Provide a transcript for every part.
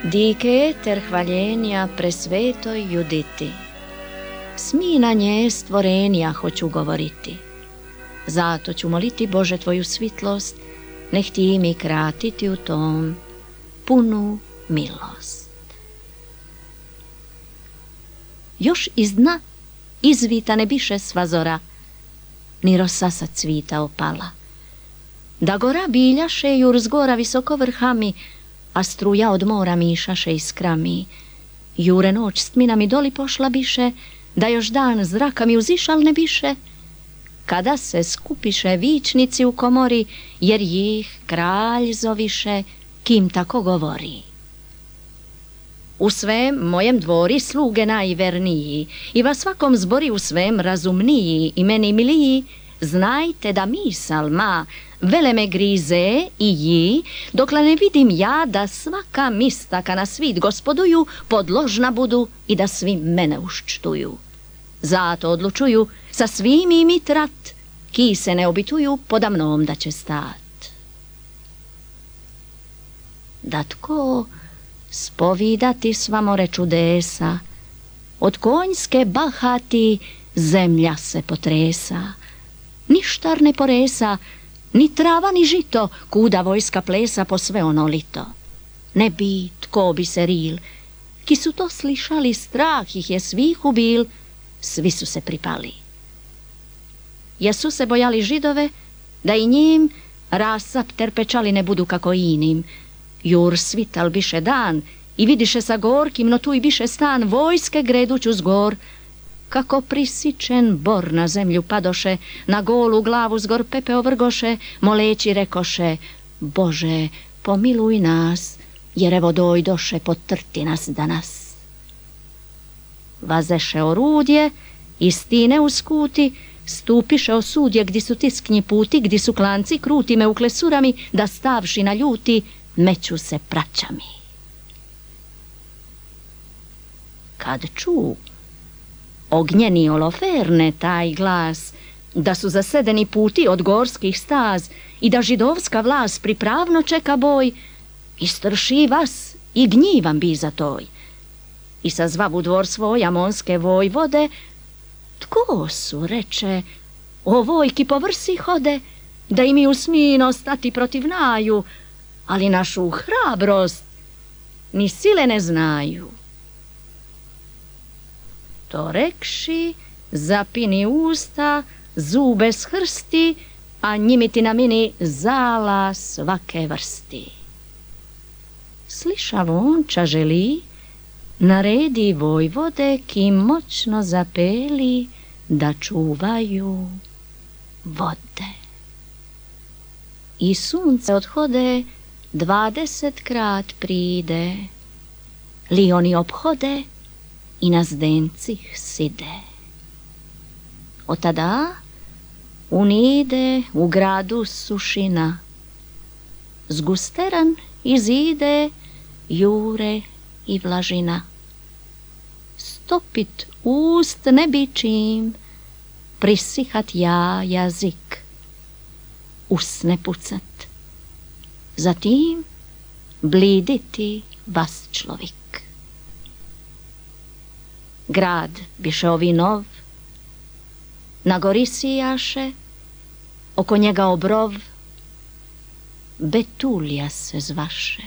Dike eter hvaljenja presvetoj Juditi, smi na nje stvorenja hoću govoriti. Zato ću moliti Bože tvoju svitlost, neh ti mi kratiti u tom punu milost. Još iz dna izvita ne biše sva zora, ni rosa sa cvita opala. Da gora biljaše jur s gora visoko vrhami, a struja od mora mišaše iskrami. Jure noć s tminami doli pošla biše, da još dan zraka mi uzišal ne biše, kada se skupiše vičnici u komori, jer jih kralj zoviše, kim tako govori. U svem mojem dvori sluge najverniji, i vas svakom zbori u svem razumniji i meni miliji, znajte da misal ma vele me grize i ji, dokle ne vidim ja da svaka mistaka na svit gospoduju podložna budu i da svi mene uščtuju. Zato odlučuju sa svim imi trat, ki se ne obituju poda mnom da će stat. Da tko spovidati sva more čudesa, od konjske bahati zemlja se potresa, ništar ne poresa, ni trava ni žito, kuda vojska plesa po sve ono lito. Ne bi tko bi se ril, ki su to slišali, strah ih je svih ubil, svi su se pripali. Jesu se bojali Židove, da i njim rasap terpečali ne budu kako inim. Jur svital biše dan i vidiše sa gorkim, no tu i biše stan vojske greduću zgor. Kako prisičen bor na zemlju padoše, na golu glavu zgor pepe ovrgoše, moleći rekoše: Bože, pomiluj nas, jer evo dojdoše potrti nas danas. Vazeše orudje, istine u skuti, stupiše osudje, gdje su tisknji puti, gdje su klanci kruti, me uklesurami, da stavši na ljuti, meću se praćami. Kad ču ognjeni oloferne taj glas, da su zasedeni puti od gorskih staz i da židovska vlast pripravno čeka boj, istrši vas i gnjivan bi za toj. I sazvav u dvor svoj amonske vojvode, tko su, reče, o vojki po vrsi hode, da im u smino stati protiv naju, ali našu hrabrost ni sile ne znaju. To rekši, zapini usta, zube shrsti, a njimiti na mini zala svake vrsti. Slišav on ča želi, naredi vojvode, ki moćno zapeli, da čuvaju vode. I sunce odhode, 20 krat pride, li oni obhode i na zdencih side. Od tada unide u gradu sušina, zgusteran izide jure i vlažina. Stopit ust ne bi čim, prisihat ja jazik, usne pucat, zatim bliditi vas človik. Grad biše ovi nov, na gori sijaše, oko njega obrov, Betulija se zvaše.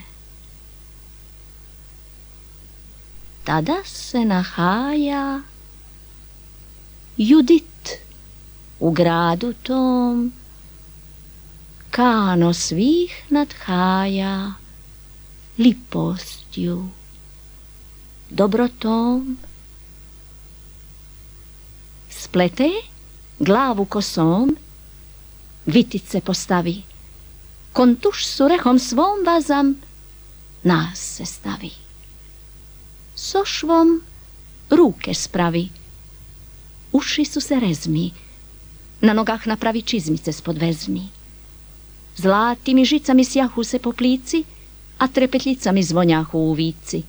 Tada se nahaja Judit u gradu tom, kano svih nadhaja lipostju, dobrotom. Splete glavu kosom, vitice postavi, kontuš surehom svom vazam, nas se stavi. Sošvom ruke spravi, uši su se rezmi, na nogah napravi čizmice spod vezmi. Zlatim i žicami sjahu se po plici, a trepetljicami zvonjahu u vici.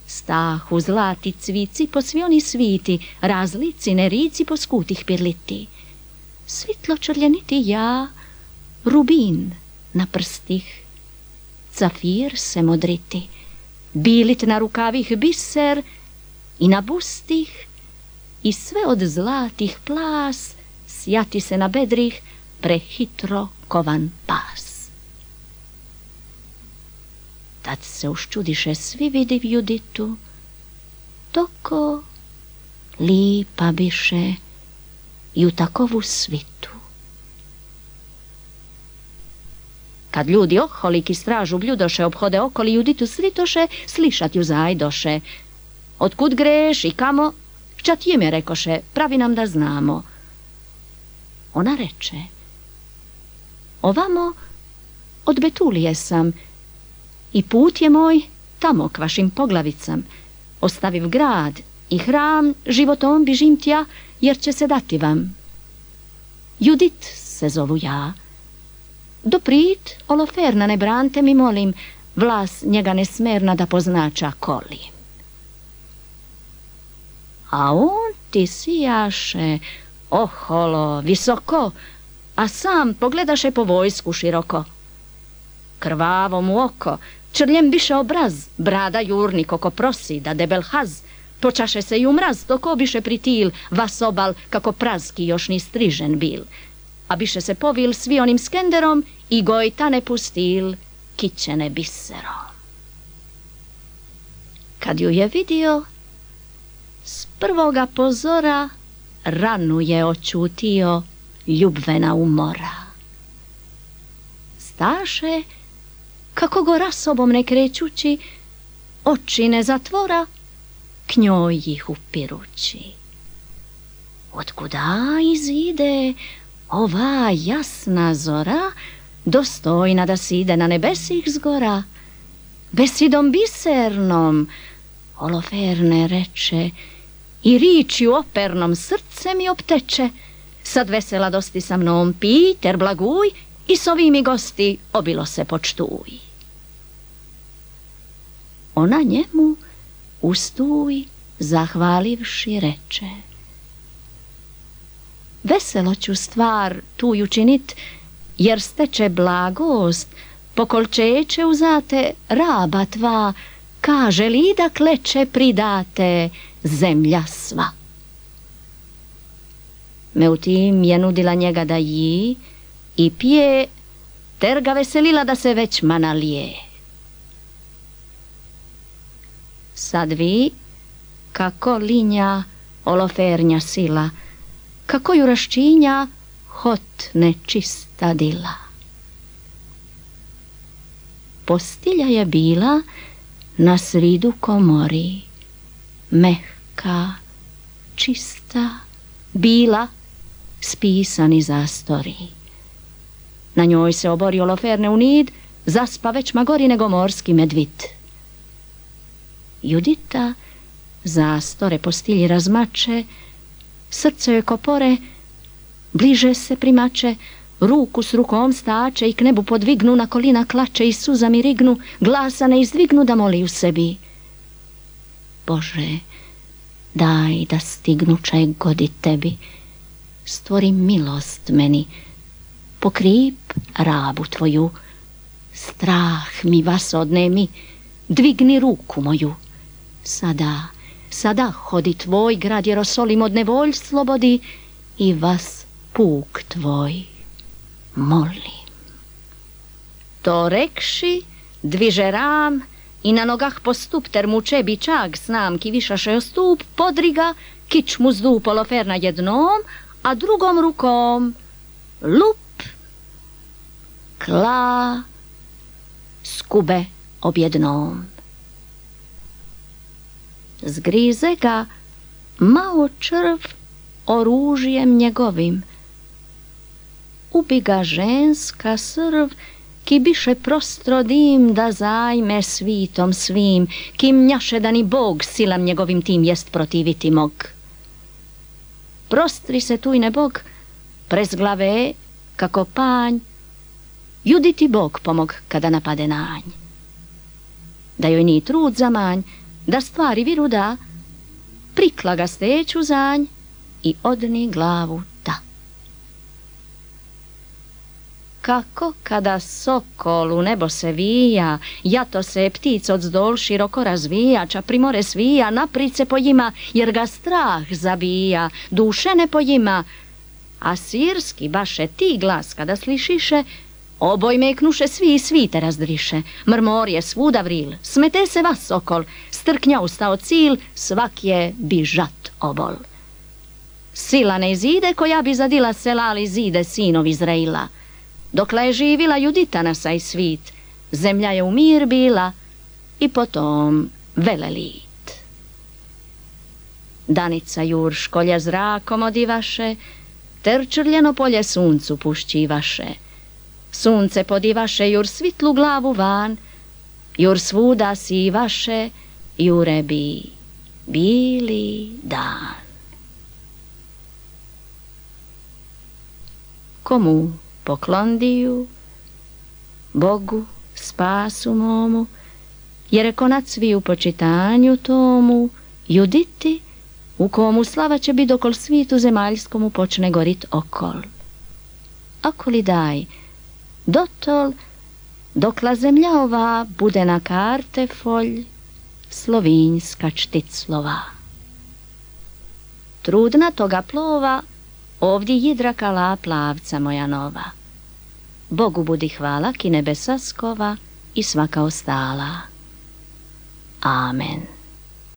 Stahu zlati cvici po svi oni sviti, razlici nerici po skutih pirliti. Svitlo črljeniti ja, rubin na prstih, cafir se modriti, bilit na rukavih biser i na bustih, i sve od zlatih plas sjati se na bedrih prehitro kovan pas. Tad se uščudiše svi vidiv Juditu, toko lipa biše i u takovu svitu. Kad ljudi oholik i stražu bljudoše obhode okoli, Juditu sritoše, slišat ju zajdoše. Otkud greš i kamo? Šta ti ime rekoše, pravi nam da znamo. Ona reče, ovamo od Betulije sam i put je moj tamo k vašim poglavicam. Ostaviv grad i hram, životom bižim tja, jer će se dati vam. Judit se zovu ja. Doprit, Oloferna, ne brante mi molim, vlas njega nesmerna da poznača kolim. A on ti sijaše oholo, visoko, a sam pogledaše po vojsku široko. Krvavo mu oko, črljem biše obraz, brada jurnik oko prosi da debel haz, počaše se i u mraz, dok obiše pritil, vas obal kako prazki još ni strižen bil, a biše se povil svi onim skenderom i gojta ne pustil kićene biserom. Kad ju je vidio, s prvoga pozora ranu je očutio ljubvena umora. Staše, kako go rasobom ne krećući, oči ne zatvora, k njoj ih upirući. Otkuda izide ova jasna zora, dostojna da side na nebesih zgora? Besidom bisernom, Oloferne reče, i ričju opernom srce mi opteče. Sad vesela dosti sa mnom Piter blaguj i s ovimi gosti obilo se počtuj. Ona njemu ustuj zahvalivši reče, veselo ću stvar tu učinit, jer steče blagost, pokolčeće uzate raba tva, kaže li da kleče pridate zemlja sva. Meutim je nudila njega da ji i pije, ter ga veselila da se već manalije. Sad vi, kako linja Olofernja sila, kako ju raščinja hot nečista dila. Postilja je bila na sridu komori, mehka, čista, bila, spisani zastori. Na njoj se obori Oloferne u nid, zaspa već magori nego morski medvit. Judita zastore postilji razmače, srce joj kopore, bliže se primače, ruku s rukom stače i k nebu podvignu, na kolina klače i suzami rignu, glasa ne izdvignu da moli u sebi. Bože, daj da stignu čaj godi tebi, stvori milost meni, pokrip rabu tvoju, strah mi vas odnemi, dvigni ruku moju. Sada hodi tvoj grad Jerosolim od nevolj slobodi i vas puk tvoj molim. To rekši, dviže ram i na nogah postup ter muče bičag snam ki višaše o stup, podriga, kič mu zdup Oloferna jednom, a drugom rukom lup, kla, skube objednom. Zgrize ga mao črv oružjem njegovim, ubi ga ženska srv, ki biše prostro dim da zajme svitom svim, ki mnjaše da ni Bog silam njegovim tim jest protiviti mog. Prostri se tujne Bog, prez glave, kako panj, Juditi Bog pomog kada napade nanj. Da joj ni trud zamanj, da stvari viru da, prikla ga steću zanj i odni glavu da. kako kada sokol u nebo se vija, jato se ptic od zdol široko razvija, ča primore svija, naprid se pojima, jer ga strah zabija, duše ne pojima. A svirski baše ti glas kada slišiše, oboj meknuše svi i svite razdriše, mrmorje svuda vril, smete se vas sokol, strknja ustao cil, svak je bižat obol. Sila ne izide koja bi zadila sela, ali zide sinov Izraila. Dokle je živila Judita na saj svit, zemlja je u mir bila i potom velelit. Danica jur školja zrakom odivaše, ter črljeno polje suncu pušćivaše. Sunce podivaše jur svitlu glavu van, jur svuda sivaše, jure bi bili dan. Komu poklondiju, Bogu spasu momu, jer je konac svi u počitanju tomu, Juditi, u komu slava će bit dokol svitu zemaljskomu počne gorit okol. Okoli daj, dotol, dokla zemlja ova bude na karte folj, slovinjska šticlova. Trudna toga plova, ovdje jidrakala plavca moja nova. Bogu budi hvala ki nebesa skova i svaka ostala. Amen.